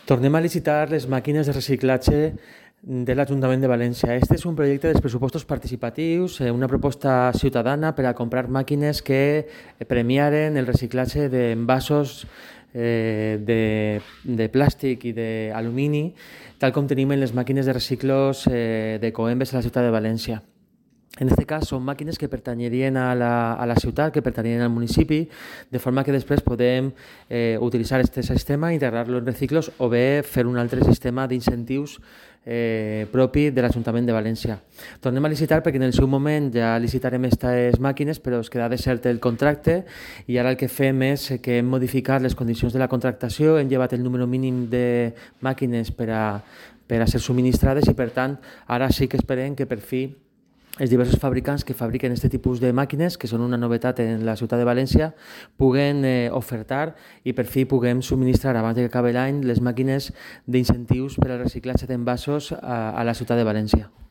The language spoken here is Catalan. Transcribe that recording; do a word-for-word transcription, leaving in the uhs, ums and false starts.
Tornem a licitar les màquines de reciclatge de l'Ajuntament de València. Este és un projecte dels pressupostos participatius, una proposta ciutadana per a comprar màquines que premiaren el reciclatge d'envasos eh, de, de plàstic i d'alumini, tal com tenim en les màquines de reciclos eh, de Coembes a la ciutat de València. En aquest cas són màquines que pertanyerien a la, a la ciutat, que pertanyerien al municipi, de forma que després podem eh, utilitzar aquest sistema, integrar-lo en reciclos o bé fer un altre sistema d'incentius eh, propi de l'Ajuntament de València. Tornem a licitar perquè en el seu moment ja licitarem aquestes màquines, però es queda desert el contracte i ara el que fem és que hem modificat les condicions de la contractació, hem llevat el número mínim de màquines per a, per a ser subministrades i per tant ara sí que esperem que per fi els diversos fabricants que fabriquen aquest tipus de màquines, que són una novetat en la ciutat de València, puguen eh, ofertar i per fi puguem subministrar abans que acabi l'any les màquines d'incentius per al reciclatge d'envasos a, a la ciutat de València.